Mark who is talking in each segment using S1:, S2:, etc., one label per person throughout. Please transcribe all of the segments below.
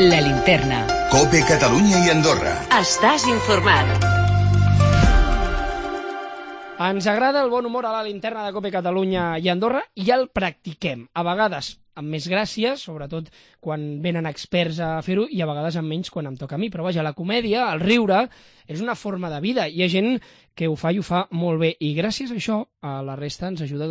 S1: La Linterna.
S2: COPE Catalunya i Andorra.
S1: Estàs informat.
S3: Ens agrada el bon humor a la Linterna de COPE Catalunya i Andorra i el practiquem. A vegades amb més gràcia, sobretot quan venen experts a fer-ho, i a vegades amb menys quan em toca a mi. Però vaja, la comèdia, el riure, és una forma de vida. Hi ha gent que ho fa i ho fa molt bé. I gràcies a això, a la resta ens ajuda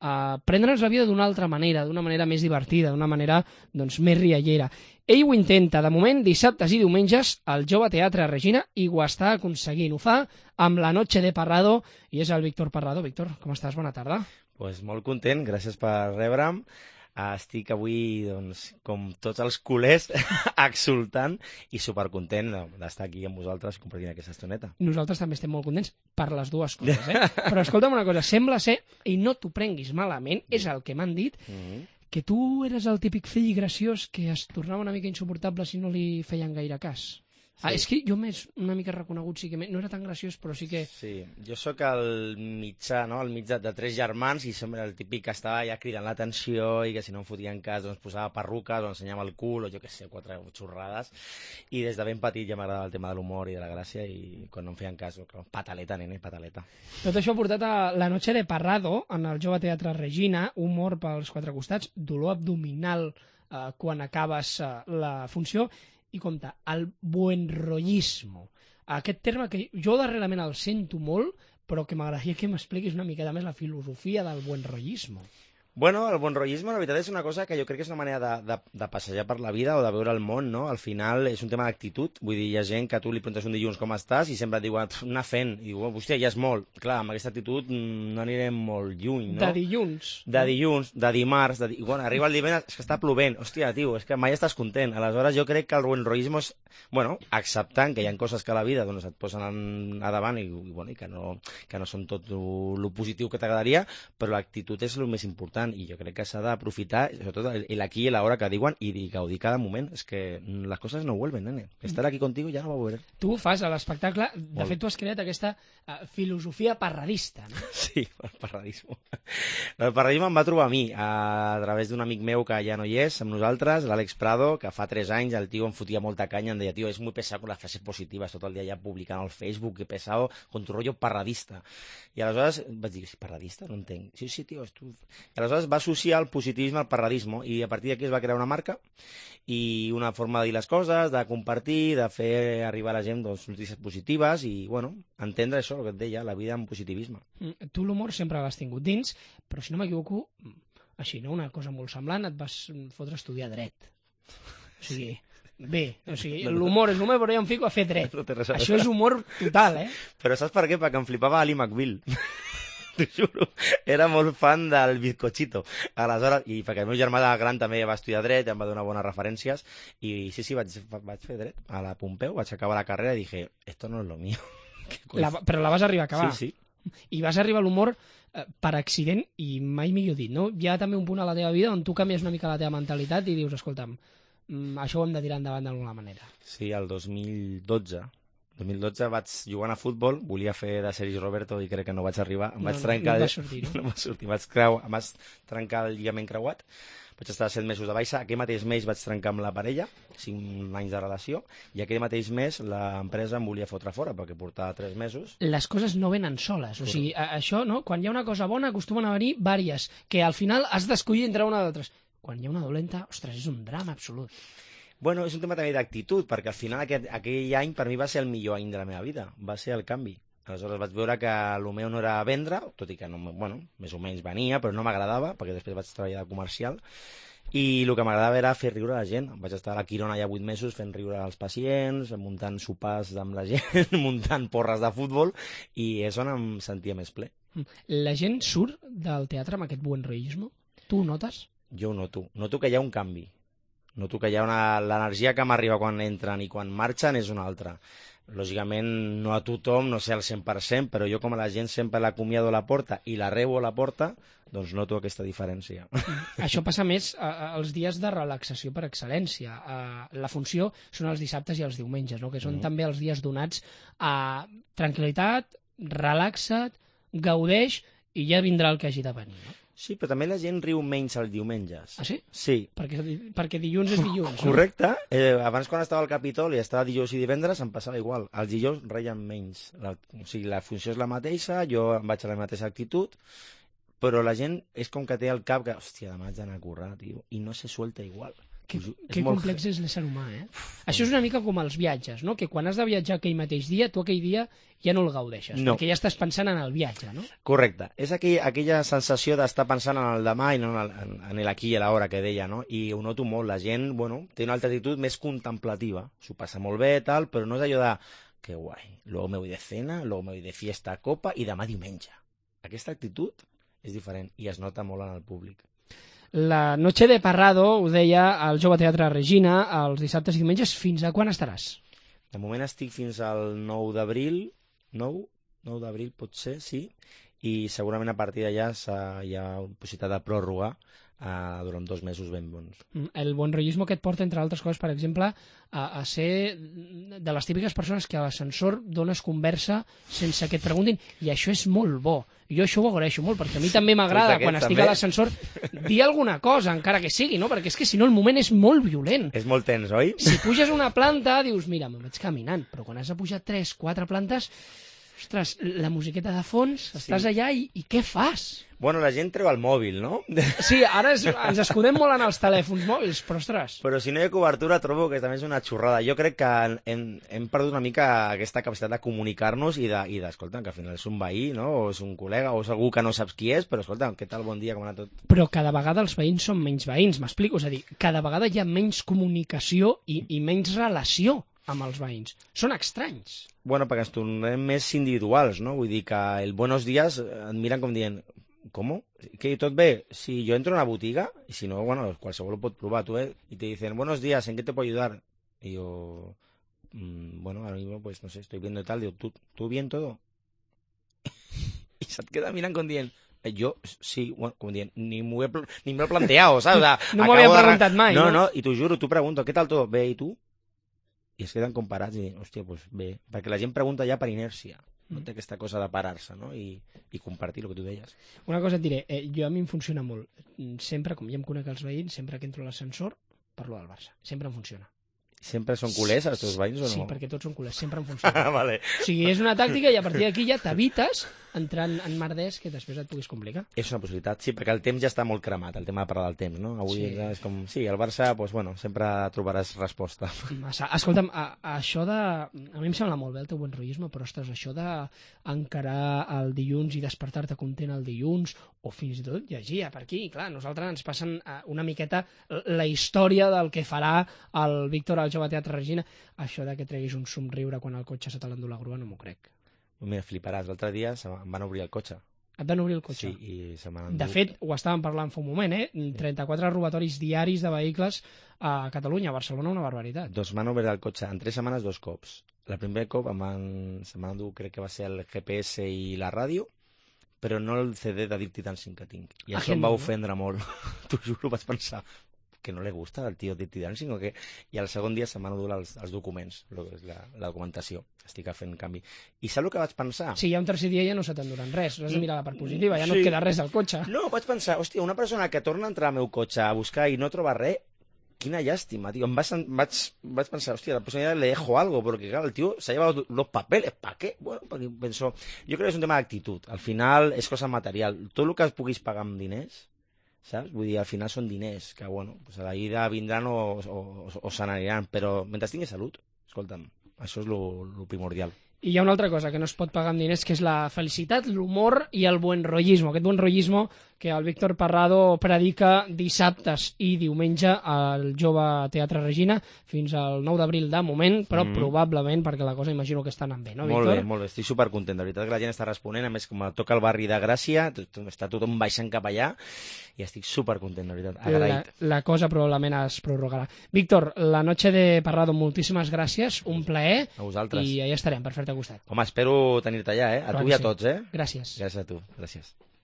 S3: a prendre'ns la vida d'una altra manera, d'una manera més divertida, d'una manera més riallera. Ell ho intenta. De moment, dissabtes i diumenges, al Jove Teatre Regina, i ho està aconseguint. Ho fa amb La Noche de Parrado, i és el Víctor Parrado. Víctor, com estàs? Bona tarda.
S4: Pues molt content, gràcies per rebre'm. Estic avui, com tots els culers, exultant i supercontent d'estar aquí amb vosaltres compartint aquesta estoneta.
S3: Nosaltres també estem molt contents per les dues coses, Però escolta'm una cosa, sembla ser, i no t'ho prenguis malament, és el que m'han dit, que tu eres el típic fill graciós que es tornava una mica insuportable si no li feien gaire cas. Sí. És que jo m'he una mica reconegut, sí que no era tan graciós, però sí que...
S4: Sí, jo sóc el mitjà, no?, el mitjà de 3 germans i sempre el típic que estava ja cridant l'atenció i que si no em fotien cas posava perruques o ensenyava el cul o jo què sé, 4 xorrades. I des de ben petit ja m'agradava el tema de l'humor i de la gràcia i quan no em feien cas, pataleta, nene, pataleta.
S3: Tot això ha portat a La Noche de Parrado, en el Jove Teatre Regina, humor pels 4 costats, dolor abdominal quan acabes la funció. I compte, el buenrollismo. Aquest terme que jo darrerament el sento molt, però que m'agradaria que m'expliquis una miqueta més la filosofia del buenrollismo.
S4: Bueno, el buenrollisme, la veritat, és una cosa que jo crec que és una manera de passejar per la vida o de veure el món, no? Al final és un tema d'actitud. Vull dir, hi ha gent que tu li preguntes un dilluns com estàs i sempre et diuen, anar fent. I diu, hòstia, ja és molt. Clar, amb aquesta actitud no anirem molt lluny, no?
S3: De dilluns.
S4: De dilluns, de dimarts, bueno, arriba el divendres, és que està plovent. Hòstia, tio, és que mai estàs content. Aleshores, jo crec que el buenrollisme és, bueno, acceptant que hi ha coses que a la vida et posen a davant i que no són tot el positiu que t'agradaria, però l'actitud és el més important. I jo crec que s'ha d'aprofitar, sobretot l'aquí i l'hora que diuen, i gaudir cada moment. És que les coses no vuelven, nene. Estar aquí contigo ja no va volver.
S3: Tu fas a l'espectacle, de fet tu has creat aquesta filosofia parradista, no?
S4: Sí, el parradisme. El parradisme em va trobar a mi, a través d'un amic meu que ja no hi és, amb nosaltres, l'Àlex Prado, que fa 3 anys el tio em fotia molta canya, em deia, tio, és muy pesado con las frases positivas, tot el dia ja publicant al Facebook, que pesado, con tu rollo parradista. I aleshores vaig dir, parradista? No entenc. Sí, tio, és tu... I aleshores va associar el positivisme al parradisme i a partir d'aquí es va crear una marca i una forma de dir les coses, de compartir, de fer arribar a la gent notícies positives i, bueno, entendre això, el que et deia, la vida amb positivisme.
S3: Tu l'humor sempre l'has tingut dins, però si no m'equivoco, així, no? Una cosa molt semblant, et vas fotre a estudiar dret. O sigui... Bé, o sigui, l'humor és humor, però jo em fico a fer dret. Això és humor total,
S4: Però saps per què? Perquè em flipava Ali McBeal. T'ho juro. Era molt fan del bizcochito. Aleshores, i perquè el meu germà gran també va estudiar dret, em va donar bones referències, i sí, vaig fer dret a la Pompeu, vaig acabar la carrera i dije, esto no es lo mío.
S3: Però la vas arribar a acabar.
S4: Sí.
S3: I vas arribar a l'humor per accident, i mai millor dit, no? Hi ha també un punt a la teva vida on tu canvies una mica la teva mentalitat i dius, escolta'm, això ho hem de tirar endavant d'alguna manera.
S4: Sí, el 2012 vaig jugant a futbol, volia fer de Sergi Roberto i crec que no vaig arribar, em vaig trencar...
S3: No va sortir, no?
S4: No va sortir, em vaig trencar el lligament creuat, vaig estar 7 mesos de baixa, aquell mateix mes vaig trencar amb la parella, 5 anys de relació, i aquell mateix mes l'empresa em volia fotre fora, perquè portava 3 mesos.
S3: Les coses no venen soles, o sigui, això, no? Quan hi ha una cosa bona acostumen a venir vàries, que al final has d'escollir entre una d'altres. Quan hi ha una dolenta, ostres, és un drama absolut.
S4: Bueno, és un tema també d'actitud, perquè al final aquell any per mi va ser el millor any de la meva vida, va ser el canvi. Aleshores vaig veure que el meu no era vendre, tot i que, més o menys venia, però no m'agradava, perquè després vaig treballar de comercial, i el que m'agradava era fer riure la gent. Vaig estar a la Quirona ja 8 mesos fent riure als pacients, muntant sopars amb la gent, muntant porres de futbol, i és on em sentia més ple.
S3: La gent surt del teatre amb aquest buenrollisme? Tu ho notes?
S4: Jo ho noto que hi ha un canvi. Noto que hi ha l'energia que m'arriba quan entren i quan marxen és una altra. Lògicament, no a tothom, no sé al 100%, però jo com a la gent sempre l'acomiado a la porta i la rebo a la porta, doncs noto aquesta diferència.
S3: Això passa més als dies de relaxació per excel·lència. La funció són els dissabtes i els diumenges, no? Que són també els dies donats a tranquil·litat, relaxa't, gaudeix i ja vindrà el que hagi de venir, no?
S4: Sí, però també la gent riu menys els diumenges.
S3: Ah, sí?
S4: Sí.
S3: Perquè dilluns és dilluns.
S4: Correcte. Abans, quan estava al Capitoli, estava dijous i divendres, em passava igual. Els dijous reien menys. O sigui, la funció és la mateixa, jo em vaig a la mateixa actitud, però la gent és com que té al cap que, hòstia, demà haig d'anar a currar, tio, i no se suelta igual.
S3: Que complex és l'ésser humà, eh? Això és una mica com els viatges, no? Que quan has de viatjar aquell mateix dia, tu aquell dia ja no el gaudeixes,
S4: no.
S3: Perquè ja estàs pensant en el viatge, no?
S4: Correcte. És aquella sensació d'estar pensant en el demà i no en l'aquí i l'hora que deia, no? I ho noto molt. La gent, bueno, té una altra actitud més contemplativa. S'ho passa molt bé, tal, però no és allò de que guai, luego me voy de cena, luego me voy de fiesta a copa i demà diumenge. Aquesta actitud és diferent i es nota molt en el públic.
S3: La Noche de Parrado, ho deia al Jove Teatre Regina, els dissabtes i diumenges, fins a quan estaràs?
S4: De moment estic fins al 9 d'abril, 9 d'abril pot ser, sí, i segurament a partir d'allà hi ha possibilitat de pròrroga durant 2 mesos ben bons.
S3: El buenrollismo que et porta, entre altres coses, per exemple, a ser de les típiques persones que a l'ascensor dones conversa sense que et preguntin, i això és molt bo. Jo això ho agraeixo molt, perquè a mi també m'agrada, quan estic a l'ascensor, dir alguna cosa, encara que sigui, no? Perquè és que si no el moment és molt violent.
S4: És molt tens, oi?
S3: Si puges una planta, dius, mira, me'n vaig caminant, però quan has de pujar 3, 4 plantes, ostres, la musiqueta de fons, estàs allà i què fas?
S4: Bueno, la gent treu el mòbil, no?
S3: Sí, ara ens escudem molt en els telèfons mòbils, però ostres...
S4: Però si no hi ha cobertura, trobo que també és una xorrada. Jo crec que hem perdut una mica aquesta capacitat de comunicar-nos i d'escolta, que al final és un veí, no? O és un col·lega, o és algú que no saps qui és, però escolta, què tal, bon dia, com ha anat tot?
S3: Però cada vegada els veïns són menys veïns, m'explico? És a dir, cada vegada hi ha menys comunicació i menys relació amb els veïns. Són estranys.
S4: Bueno, perquè ens tornem més individuals, no? Vull dir que el buenos días et miren com dient ¿cómo? ¿Que tot bé? Si yo entro a una botiga, y si no, bueno, qualsevol ho pot provar, tú, y te dicen, buenos días, ¿en qué te puedo ayudar? Y yo, bueno, ahora mismo, pues, no sé, estoy viendo tal, digo, ¿tú bien todo? Y se te queda mirant com dient, yo, sí, bueno, com dient, ni me lo he planteado, ¿sabes? O sea,
S3: no m'ho havia preguntat mai,
S4: no? No, i t'ho juro, tu pregunto, ¿qué tal todo? Bé, i tu? I es queden comparats i, hòstia, pues bé, perquè la gent pregunta ja per inèrcia. No té aquesta cosa de parar-se, no? I compartir el que tu deies.
S3: Una cosa et diré, a mi em funciona molt. Sempre, com ja em conec els veïns, sempre que entro a l'ascensor, parlo del Barça. Sempre em funciona.
S4: Sempre són culers els teus veïns o no?
S3: Sí, perquè tots són culers, sempre em funciona.
S4: Vale.
S3: O sigui, és una tàctica i a partir d'aquí ja t'evites entrar en merders que després et puguis complicar.
S4: És una possibilitat, sí, perquè el temps ja està molt cremat, el tema de parlar del temps, no? Avui és com, sí, el Barça, doncs, bueno, sempre trobaràs resposta.
S3: Escolta'm, això de... A mi em sembla molt bé el teu buenrollisme, però, ostres, això d'encarar el dilluns i despertar-te content el dilluns, o fins i tot llegir per aquí, clar, nosaltres ens passen una miqueta la història del que farà el Víctor al Jove Teatre Regina. Això de que treguis un somriure quan el cotxe se te l'endú la grua no m'ho crec.
S4: Mira, fliparàs, l'altre dia em van obrir el cotxe.
S3: Et van obrir el cotxe?
S4: Sí, i se m'han endut.
S3: De fet, ho estàvem parlant fa un moment, 34 robatoris diaris de vehicles a Catalunya, a Barcelona, una barbaritat.
S4: Doncs m'han obert el cotxe en 3 setmanes 2 cops. El primer cop se m'han endut, crec que va ser el GPS i la ràdio, però no el CD de Dirty Dancing que tinc. I això em va ofendre molt. T'ho juro, vaig pensar que no li gusta el tio Dirty Dancing o què? I el segon dia se m'han endut els documents, la documentació. Estic fent canvi. I saps el que vaig pensar?
S3: Si hi ha un tercer dia ja no se t'enduran res, has de mirar la part positiva, ja no et queda res al cotxe.
S4: No, vaig pensar, hòstia, una persona que torna a entrar al meu cotxe a buscar i no troba res, quina llàstima, tío. Vaig pensar, hòstia, la persona le dejo algo, porque claro, el tío se ha llevado los papeles, ¿para qué? Bueno, porque pensó, yo creo que és un tema d'actitud. Al final és cosa material. Tot el que es puguis pagar amb diners, saps? Vull dir, al final són diners, que bueno, pues a la ida vindran o se n'aniran, però mentre tinguis salut, escolta'm, això és lo primordial.
S3: I hi ha una altra cosa que no es pot pagar amb diners, que és la felicitat, l'humor i el buenrollismo. Aquest buenrollismo que el Víctor Parrado predica dissabtes i diumenge al Jove Teatre Regina fins al 9 d'abril de moment, però probablement perquè la cosa imagino que està anant bé, no, Víctor?
S4: Molt bé, estic supercontent. De veritat que la gent està responent, a més com toca el barri de Gràcia, està tothom baixant cap allà i estic supercontent, de veritat, agraït.
S3: La cosa probablement es prorrogarà. Víctor, la noche de Parrado, moltíssimes gràcies, un plaer.
S4: A vosaltres.
S3: I allà estarem, per fer-te costat.
S4: Home, espero tenir-te allà, a tu i a tots,
S3: Gràcies.
S4: Gràcies a tu, gràcies.